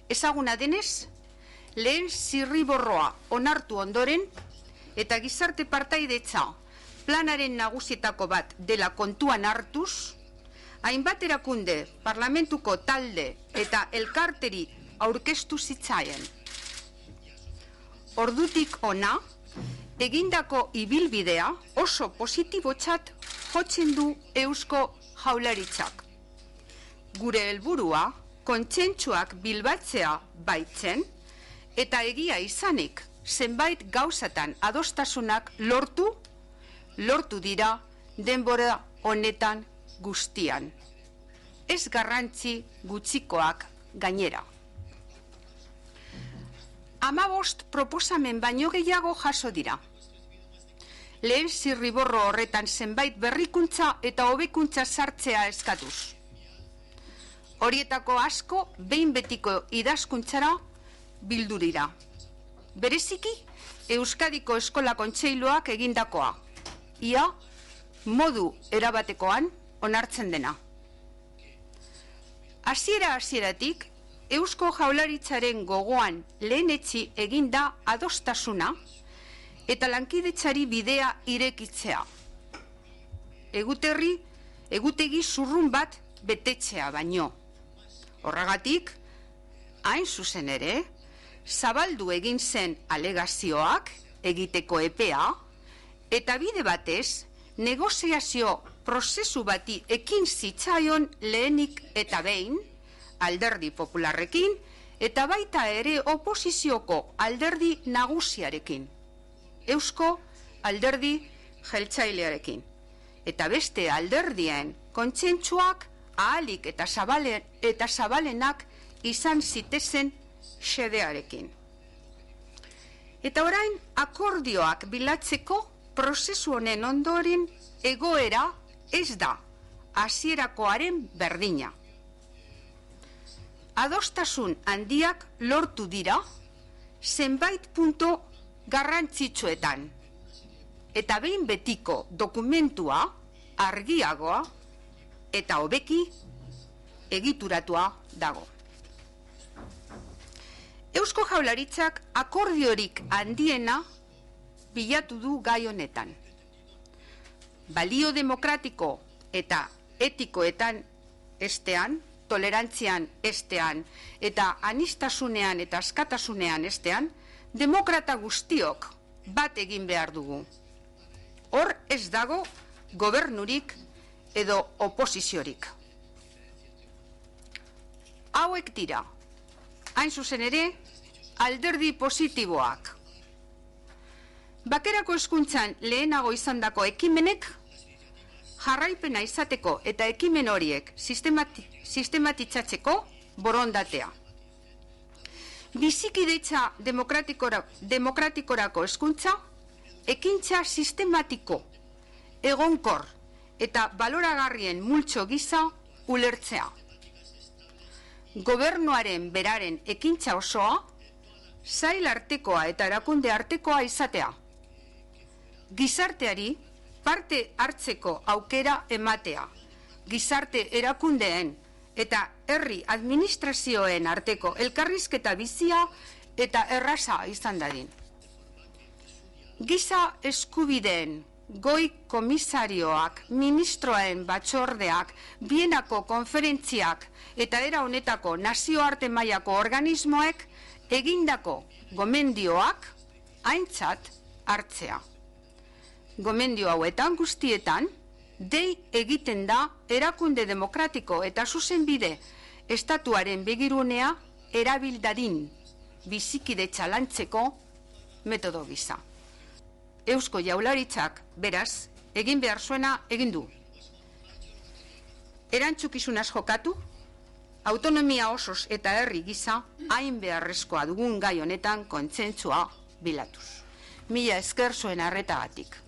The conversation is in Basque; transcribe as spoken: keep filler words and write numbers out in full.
ezaguna denez, lehen zirriborroa onartu ondoren eta gizarte partaidetza planaren nagusietako bat dela kontuan hartuz, hainbat erakunde, parlamentuko talde eta elkarteri aurkeztu zitzaien. Ordutik ona, egindako ibilbidea oso positibotzat jotzen du Eusko Jaurlaritzak. Gure helburua kontsentsuak bilbatzea baitzen eta egia izanik zenbait gauzatan adostasunak lortu, lortu dira denbora honetan guztian. Ez garrantzi gutxikoak gainera. Hamabost proposamen baino gehiago jaso dira. Lehen zirriborro horretan zenbait berrikuntza eta hobekuntza sartzea eskatuz. Horietako asko behin betiko idazkuntzara bildu dira. Bereziki, Euskadiko Eskola Kontseiluak egindakoa. Ia, modu erabatekoan onartzen dena. Hasiera hasieratik, Eusko Jaurlaritzaren gogoan lehenetsi eginda adostasuna eta lankidetzari bidea irekitzea. Eguterri, egutegi zurrun bat betetzea baino. Horregatik, hain zuzen ere, zabaldu egin zen alegazioak egiteko epea eta bide batez negoziazio prozesu bati ekin zitzaion lehenik eta behin Alderdi Popularrekin eta baita ere oposizioko alderdi nagusiarekin, Eusko Alderdi Jeltzailearekin, eta beste alderdien kontsentsuak ahalik eta zabalen, eta zabalenak izan zitezen xedearekin. Eta orain akordioak bilatzeko prozesu honen ondoren egoera ez da hasierakoaren berdina. Adostasun handiak lortu dira zenbait punto garrantzitsuetan eta behin betiko dokumentua argiagoa eta hobeki egituratua dago. Eusko Jaurlaritzak akordiorik handiena bilatu du gai honetan. Balio demokratiko eta etikoetan estean, tolerantzian estean eta anistasunean eta askatasunean estean, demokrata guztiok bat egin behar dugu. Hor ez dago gobernurik edo oposiziorik. Hauek dira, hain zuzen ere, alderdi positiboak. Bakerako hezkuntzan lehenago izandako ekimenek jarraipena izateko eta ekimen horiek sistemati, sistematitzatzeko borondatea. Bizikidetza demokratikora, demokratikorako hezkuntza, ekintza sistematiko, egonkor eta baloragarrien multzo gisa ulertzea. Gobernuaren beraren ekintza osoa, sail artekoa eta erakunde artekoa izatea. Gizarteari parte hartzeko aukera ematea, gizarte erakundeen eta herri administrazioen arteko elkarrizketa bizia eta erraza izan dadin. Giza eskubideen goi komisarioak, ministroen batzordeak, Bienako konferentziak eta era honetako nazioarte mailako organismoek egindako gomendioak aintzat hartzea. Gomendio hauetan guztietan, dei egiten da erakunde demokratiko eta zuzenbide estatuaren begirunea erabildadin bizikidetza lantzeko metodo gisa. Eusko Jaurlaritzak, beraz, egin behar zuena egin du. Erantzukizunaz jokatu, autonomia osoz eta herri gisa hain beharrezkoa dugun gai honetan kontsentsua bilatuz. Mila esker zuen arretagatik.